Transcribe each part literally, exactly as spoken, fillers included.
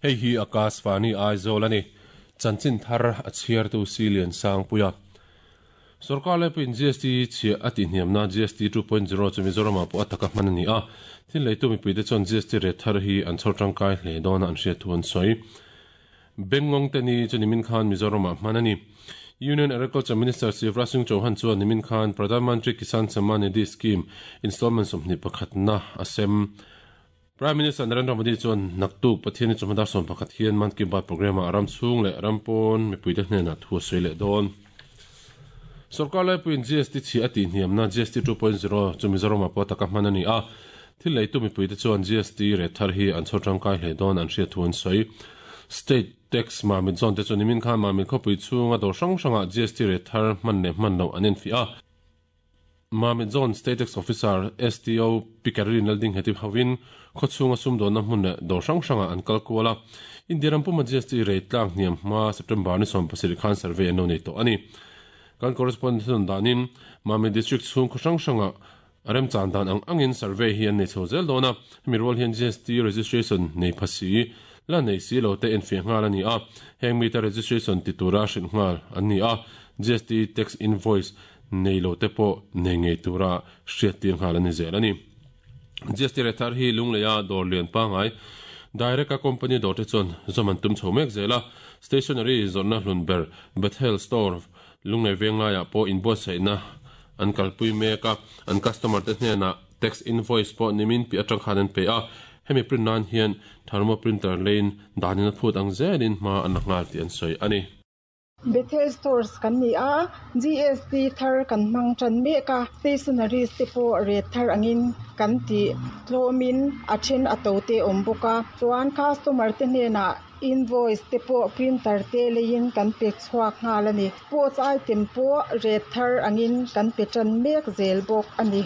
Hei hi Akashvani Aizawl ani. Chanchin thar a chhiar tu Silian Sangpuia. Sarkar laipui in G S T chhiah a tihhniam na G S T two point zero chu Mizoram ah pawh a taka hman a ni a. Thil leitu mipuite chuan G S T rate thar hi an chhawr tangkai hle dawn a an hriat thu an sawi. Bengngawng te ni chu nimin khan Mizoram ah hman a ni. Union Agriculture Minister Shivraj Singh Chauhan chuan nimin khan Pradhan Mantri Kisan Samman Nidhi Scheme installment sawmhnih pakhatna a sem. Prime Minister Narendra Modi chuan naktuk Pathian chu hmadar sawm pakhat hian Mann Ki Baat programme ah ram chhung leh ram pawn mipuite hnenah thu a sawi leh dawn. Sarkar laipuiin G S T chhiah a tihhniamna G S T two point zero chu Mizoram ah pawh taka hman a ni a. Thil leitu mipuite chuan G S T rate thar hi an chhawr tangkai hle dawn an hriat thu an sawi. State tax Mamit zone te chu nimin khan Mamit khawpui chhunga dawr hrang hrangah G S T rate thar hman leh hman loh an enfiah a. Mamit zone State Tax Officer S T O Pikarin Lalding hetip hawin khawchhunga sumdawnna hmun leh dawr hrang hrangah an kal kual a. India ram puma G S T rate tlang hniam hma September ni sawm pasarih khan survey an lo nei tawh a ni. Kan correspondent danin Mamit district chhung khaw hrang hrangah rem chan dan ang angin survey hi an nei chho zel dawn a. Hemi rual hian G S T registration nei phasi la nei si lo te enfiah nghal a ni a. Heng mita registration ti tura hrilh nghal an ni a. G S T tax invoice nei lo te pawh nei ngei tura hriat tir nghal a ni zel a ni. G S T rate thar hi Lungleia dawr lian pangai direct a company dawr te chuan zawm an tum chho mek zel a. Stationery zawrhna hlun ber Bethel Store Lunglei venglaiah pawh inbuatsaihna an kalpui mek a. An customer te hnenah tax invoice pawh nimin pi atang khan an pe a. Hemi print nan hian thermo printer lein danin a phut ang zelin hma an la nghal tih an sawi a ni. Bethel Stores kan ni a, G S T thar kan hmang tan mek a, stationaries te pawh rate thar angin kan ti tlawmin a then a to te awm bawk a. Chuan customer te hnenah invoice te pawh printer te leiin kan pe chhuak nghal a ni. Sports item pawh rate thar angin kan pe tan mek zel bawk a ni.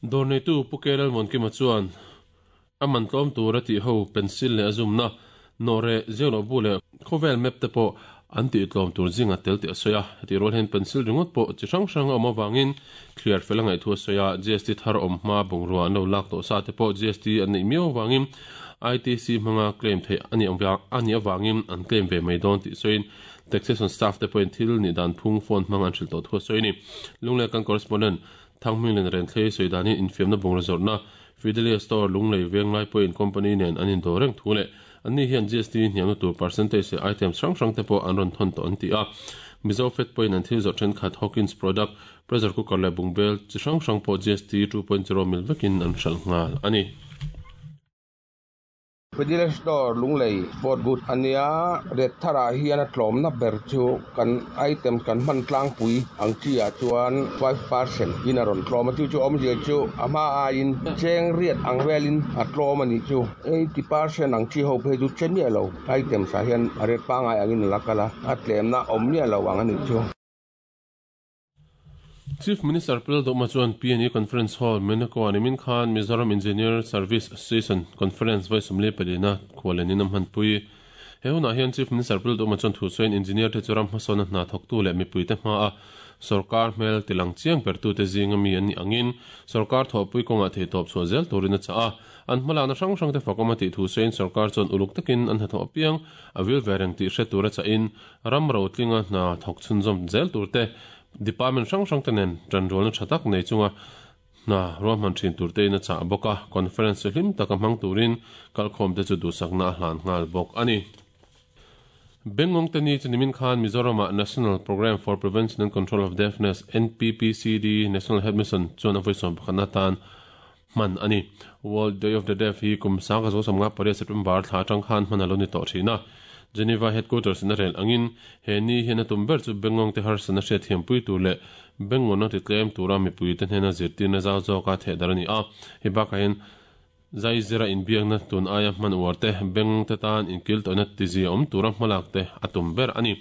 Dawr neitu Pu Kelal Muankima chuan a man tlawm tur a tih ho pencil leh a zumna nawre zelo bu leh khawvel map te pawh an tih tlawm tur zinga tel tih a sawi a. Heti rual hian pencil ringawt pawh chi hrang hrang a awm avangin thliar fel a ngaih thu a sawi a. G S T thar awm hma bungrua an lo lak tawh sa te pawh G S T an neih miau avangin I T C hmanga claim theih ani ani avangin an claim ve mai dawn tih sawiin taxation staff te pawhin thil ni dan phung phone hmang an hrilh tawh thu a sawi a ni. Lunglei kan correspondent Thangming len ren thlei sawi danin infiamna bungrua zawrhna Fidelia Store Lunglei Venglai pawhin company nen an indawr reng thu leh anni hian G S T hniamna tur percentage leh items hrang hrang te pawh an rawn thawn tawh an ti a. Mizo Fed pawhin an thil zawrh thenkhat Hawkins product, pressure cooker leh bungbel chi hrang hrang pawh G S T two point zero mil vekin an hralh nghal a ni. Fidelia Store Lunglei sport good ania rate tharah hian a tlawmna ber chu kan item kan hman tlangpui ang chi ah chuan five percent in a rawn tlawm a. Chu chu awmzia chu a hma aiin cheng riat ang velin a tlawm a ni chu. eighty percent ang chi ho phei chu che miah lo items ah hian a rate pangai angin a la kal a, a tlemna awm miah lo ang a ni chu. Chief Minister Pil Doma chuan P N E Conference Hall Menako animin khan Mizoram Engineer Service Association Conference vai sumli palina khwalenin am hanpui. He hunah hian Chief Minister Pil Doma chuan thu sawiin engineer te churam hmasawna hna thawktu leh mipuite hma a sarkar hmel tilang chiang pertu te zinga mi an ni angin sarkar thawhpui kawngah thei tawp chhuah zel turin a chah a. An hmalakna hrang hrang te fakawm a tih thu sawiin sarkar chuan uluk takin an hnathawh apiang a vil ve reng tih hre tur a chahin ram ro tlinga hna thawk chhunzawm zel tur te department hrang hrang te nen tanrualna tha tak nei chunga hna ruahman thin tur te in a chah bawk a. Conference hlim taka hmang turin kalkhawm te chu duhsakna a hlan nghal bawk a ni. Bengngawng te ni chu nimin khan Mizoramah National Programme for Prevention and Control of Deafness N P P C D National Health Mission chuan a vawi sawm pakhatna tan hman a ni. World Day of the Deaf hi kum sanga zo samnga pariat September thla atang khan hman a lo ni tawh thin a. Geneva headquarters in a rel angin he ni hian a tum ber chu Bengngawng te harsana hriat thiampui tur leh Bengngawna ti tlem tura mipui te hnena zirtirna zau zawka theh dar a ni a. Hei bakah hian zai zira inbiakna tun aia hman uar te Bengngawng te tan inkil tawhna ti zia awm tura hmalak te a tum ber a ni.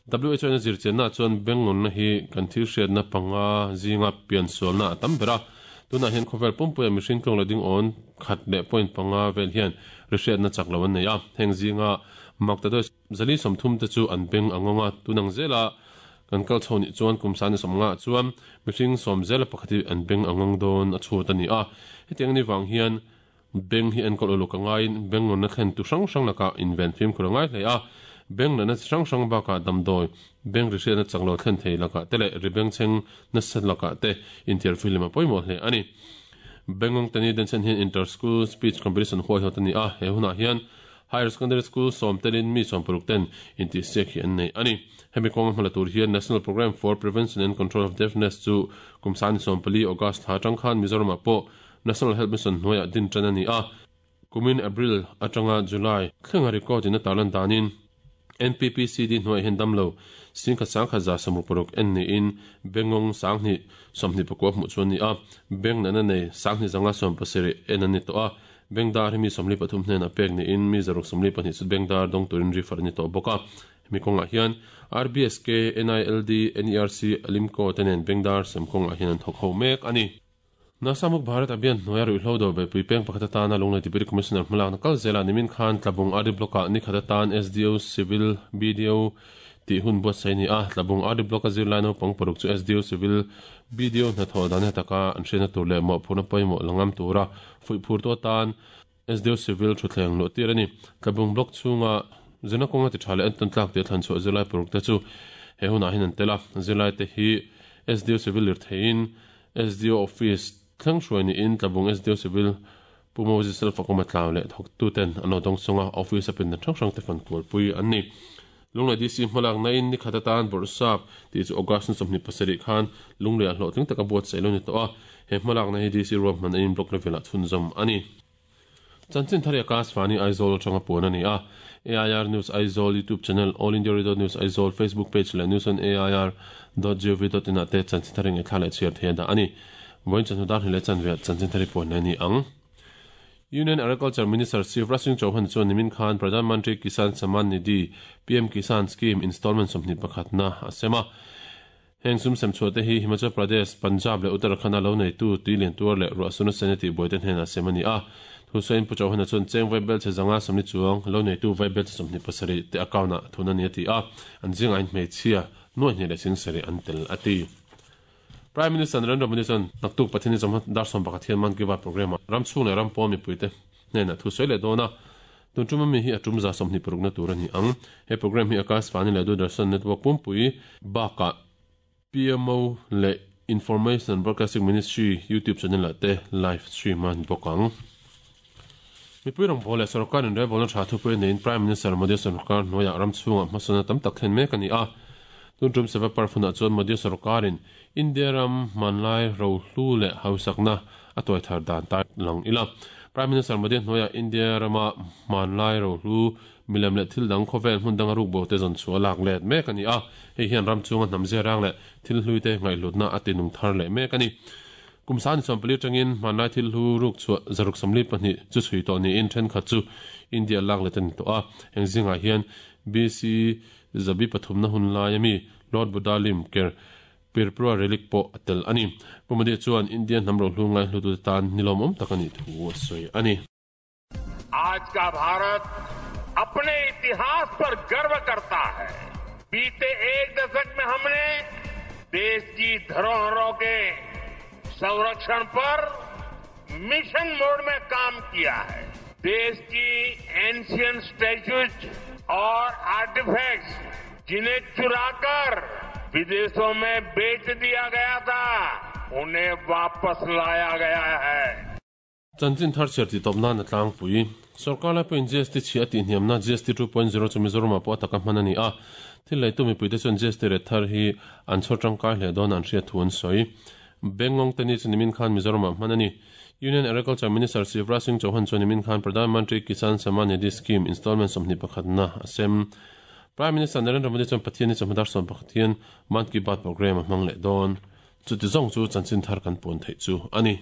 W H O na zirchianna chuan Bengngawna hi kan thil hriatna panga zinga pian sualna a tam ber a. Tunah hian khawvel pumpuia mihring tlawng leh ding awn khat leh point panga vel hian ri hriatna chak lo an nei a. Heng zinga Maktadoi zali sawmthum te chu an beng angawnga tunang zela kan kal chho ni chuan kum sani sawmnga chuan mihring sawm zela pakhat hi an beng angawng dawn a chhut a ni a. Hetiang ni wang hian Beng hi enkol uluk angain beng na thlen tu hrang hrang laka inven fim khur angai hle a beng na hrang hrang baka damdoi beng ri hriatna changlo thlen thei laka te leh ri beng cheng na sat laka te intiar film a pawimawh hle ani. Bengong tani den chen hian inter school speech competition huai hot ani a he hunah hian higher secondary school som telin mi som paruk ten inti sek hi an nei ani. Hemi kawng hmala tur hian National Program for Prevention and Control of Deafness chu kumsani som pali August ha tang khan Mizoram pawh National Health Mission hnuaiah din tan ani a kumin April atanga July thlenga record in a tarlan danin N P P C D hnuai hian damlo singkhat sangkhat za samruk paruk en ni in bengong sanghni sawmhnih pakua hmuh chuan ni a beng nana nei sanghni zanga sawm pasarih en ani tawh a bengdar hi mi sawmli pathum hnen a pek ni in mi zaruk sawmli pahnih chu bengdar dawng turin refer ani tawh bawk a hemi kawngah hian R B S K N I L D N E R C Alimco te nen bengdar sem kawngah hian an thawk ho mek ani. Nasamuk Bharat Abhiyan hnuaia ruihhlo do be puipeng pakhat atana Lunglei Deputy Commissioner hmalakna kal zela nimin khan Tlabung R D Block ah ni khat atan S D O Civil B D O tih hun buatsaih ni a Tlabung R D Block a zirlai naupang paruk chu S D O Civil B D O hnathawh dan hetaka an hriatna tur leh mawhphurna pawimawh langam tura fuihphur tu atan S D O Civil thutthleng luh tir ani. Tlabung Block chhunga zirna kawnga ti tha leh an tawn tlak tih a thlan chhuah zirlai paruk te chu he hunah hian an tel a zirlai te hi S D O Civil lir theiin S D O Office thleng hruai ni in Tlabung S D O Civil Pu Moses Selfakawma tlau leh thawk tu ten an lo dawng chunga office a pindan hrang hrang te fan kual pui an ni. Lunglei D C hmalak na in ni khat atan bawrhsap tih chu August ni sawmhnih pasarih khan Lunglei ah hlawhtling taka buatsaih lo ni tawh a he hmalak na hi D C ruam hman a in block level ah chhunzawm ani. Chanchin thari Akashvani Aizawl atanga puan ani a A I R News Aizawl YouTube channel All India Radio News Aizawl Facebook page leh news on A I R dot gov dot in ah te chanchin thari nge thla leh chhiar thei a dah ani. Voin chan dar hle chan ve chanchin thari puan ani ang. Union Agriculture Minister Shivraj Singh Chauhan chuan nimin khan Pradhan Mantri Kisan Samman Nidhi P M Kisan Scheme installment sawmhnih pakhatna a sem a heng sum sem chhuah te hi Himachal Pradesh Punjab leh Uttarakhand a lo nei tu tui lian tuar leh ruahsuna sena tih buai te hnen a sem ani a thusain Pu Chauhan chuan cheng vaibel che zanga sawmni chuang lo nei tu vaibel che sawmhnih pasarih te account ah thun ani a ti a an zinga in hmeichhia nuai hnih leh sing sarih an tel a ti. Prime Minister Narendra Modi chuan naktuk Pathini chawmhma dar sawm pakhat hian Mann Ki Baat program ah ram chhung leh ram pawm mipuite hnenah thu sawi leh dawn a tun tum ami hi a tum za sawmhnih parukna tur ani ang. He program hi Akashvani leh Doordarshan Network pumpui bakah P M O leh Information Broadcasting Ministry YouTube channel ah te live stream an bawk ang. Mipui rawng leh sarkar in rebel na tha thupui nei Prime Minister Modi sarkar hnuaiah ram chhungah hmasana tam tak thlen mek ani a tun tum seva parfuna chuan Modi sarkarin India ram manlai ro hlu leh hausakna a tuai thar dan ta lang ila Prime Minister Modi hnuaiah India rama manlai ro hlu milem leh thil dang khawvel hmun danga ruk bo te zawn chu a lak let mek ani a hei hian ram chunga hnam zia rang leh thil hlui te ngaihhlutna a tinung thar leh mek ani. Kumsan sawmpali tangin manlai thil hlu ruk chu zaruk samli pahnih chu chhui tawh niin thenkhat chu India lak let ani tawh a heng zingah hian B C zabi pathumna hun lai ami Lord Buddha lim ker Pirpura relic pawh a tel ani. Pu Modi chuan India hnam ro hlu ngai hlu tu tan nilawm awm tak ani thu a sawi ani. आज का भारत अपने इतिहास पर गर्व करता है। बीते एक दशक में हमने देश की धरोहरों के संरक्षण पर मिशन मोड में काम किया है। देश की एंशियंट स्टैच्यूज और आर्टिफैक्ट्स जिन्हें चुराकर विदेशों में बेच दिया गया था, उन्हें वापस लाया गया है। Chanchin thar chhiar ti tawp nan a tlangpui sarkar lai pawhin G S T chhi a tih hniamna G S T two point zero chu Mizoram ah pawh a taka hman ani a thil leitu mipuite chuan G S T ret thar hi an chhawr tangkai hle dawn an hriat thu an sawi. Bengong te ni chu nimin khan Mizoram ah hman ani. Union Agriculture Minister Shivraj Singh Chauhan chuan nimin khan Pradhan Mantri Kisan Samman Nidhi Scheme installment sawmhnih pakhatna a sem. Prime Minister Narendra Modi chuan Pathian ni chawhma dar sawm pakhat hian Mann Ki Baat program a hmang leh dawn. Chuti zawng chu chanchin thar kan puan theih chu ani.